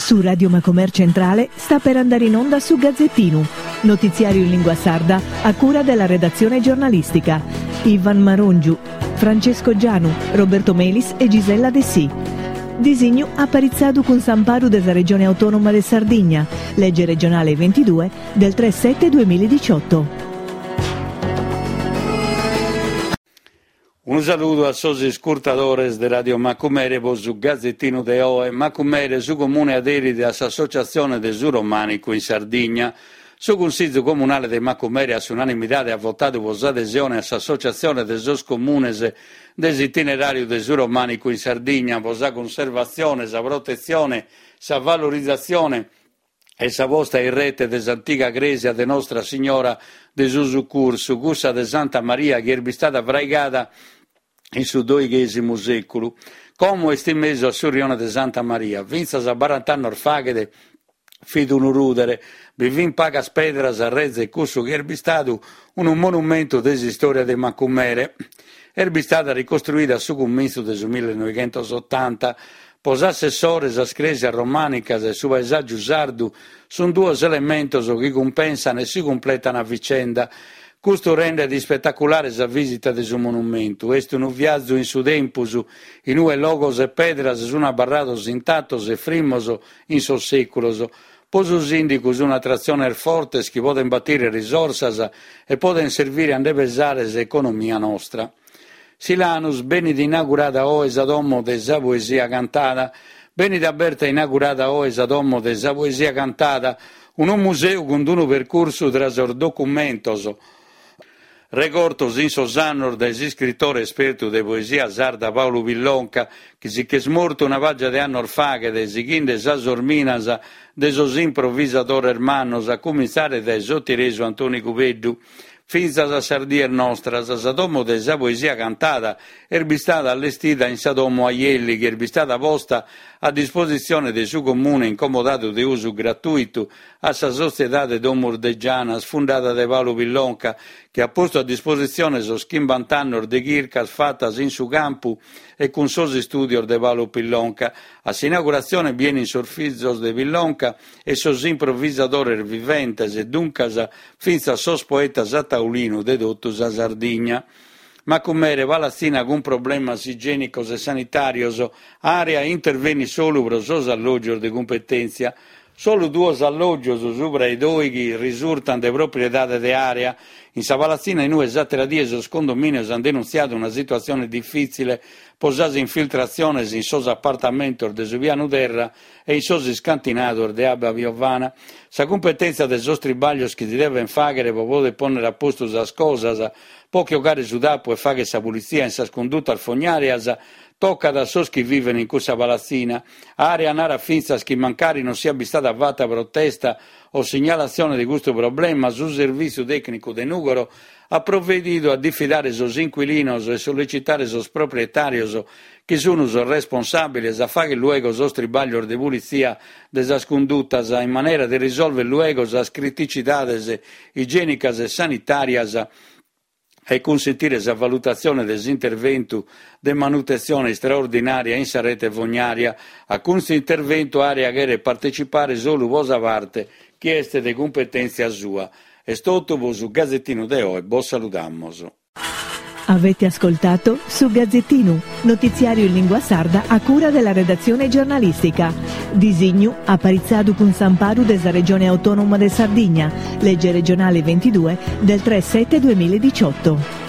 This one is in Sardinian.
Su Radio Macomer Centrale sta per andare in onda su Gazzettinu, notiziario in lingua sarda a cura della redazione giornalistica. Ivan Marongiu, Francesco Gianu, Roberto Melis e Gisella Dessì. Disignu aparitzadu cun s'amparu de sa Regione Autonoma de Sardigna, lege regionale 22 del 3 7 2018. Unu saludu a sos iscurtadores de Radio Macumere po su Gazetinu de oe. Macumere, su Comune aderit a s'Associatzione de su Romànicu in Sardigna. Su Cunsìgiu Comunale de Macumere a s'unanimidade at votadu po s'adesione a s'Associatzione de sos Comunes de s'Itineràriu de su Romànicu in Sardigna po sa cunservatzione, sa protetzione, sa valorizatzione e sa posta in rete de s'antiga crèsia de Nostra Signora de su Sucursu, cussa de Santa Maria chi est bistada fraigada in su doighèsimu sèculu. Como est in mesu a su rione de Santa Maria. Fintzas a barant'annos faghet fit unu rùdere, bi fin pagas pedras a rezer cussu chi est bistadu unu monumentu de s'istòria de Macumere. Est bistada ricostruida a su cumintzu de su millenoighentosotanta Po s'assessore sas crèsias romànicas e su paesàgiu sardu sunt duos elementos chi cumpensan e si cumpletan a vicenda. Custu rendet ispetaculare sa vìsita de su monumentu. Est unu viazu in su tempus, in ue logos e pedras sunt abarrados intatos e frimmos in sos sèculos. Po su sìndicu sunt atratziones fortes chi podent batire risorsas e podent servire a nde pesare s'economia nostra. Silanus, benit inaugurada oe sa domo de sa poesia cantada. Benit aberta e inaugurada oe sa domo de sa poesia cantada, unu museu cun unu percursu tra sos documentos regortos in sos annos dae s'iscritore espertu de poesia sarda Paulu Pillonca, chi si ch'est mortu una pàgia de annos faghet, sighinde sas orminas de sos improvisadores mannos, a cumintzare dae s'otieresu Antoni Cubeddu. Fintzas a sas dies nostras, sa domo de sa poesia cantada est bistada allestida in sa domo Aielli chi est bistada posta a dispositzione de su Comune in comodadu de usu gratùitu a sa sotziedade Domus de Janas fundada dae Paulu Pillonca chi at postu a dispositzione sos chimbant'annos de chircas fatas in su campu e cun sos istùdios de Paulu Pillonca. A s'inauguratzione bi 'enin sos fizos de Pillonca e sos improvisadores viventes e duncas fintzas sos poetas a taulinu de totu sa Sardigna. Macumere, palatzina cun problemas igienicos e sanitàrios, Area intervenit solu pro sos allògios de cumpetèntzia. Solu duos allògios subra 'e dòighi risurtant de propriedade de Area. In sa palatzina in ue s'àtera die sos condomìnios ant denuntziadu una situatzione difìtzile pro sas infiltratziones in sos apartamentos de su pianu terra e in sos iscantinados de abba piovana. Sa cumpetèntzia de sos tribàglios chi si devent fàghere pro poder pònnere a postu sas cosas, pro che 'ogare su tapu e fàghere sa pulitzia in sas cundutas fognàrias, tocat a sos chi viven in cussa palatzina. Area narat fintzas chi mancari non siat bistada fata protesta o signalatzione de custu problema, su servìtziu tècnicu de Nùgoro at provedidu a difidare sos inquilinos e sollecitare sos proprietàrios chi sun sos responsàbiles a fagher luego sos tribàglios de pulitzia de sas cundutas in manera de risolver luego sas criticidades igienicas e sanitàrias e cunsentire sa valutatzione de s'interventu de manutetzione istraordinària in sa rete fognària. A custu interventu Area cheret partecipare solu pro sa parte chi est de cumpetèntzia sua. Est totu pro su Gazetinu de oe, bos saludamos. Avete ascoltato Su Gazzettinu, notiziario in lingua sarda a cura della redazione giornalistica. Disignu aparitzadu cun s'amparu de sa Regione Autonoma de Sardigna, legge regionale 22 del 3 7 2018.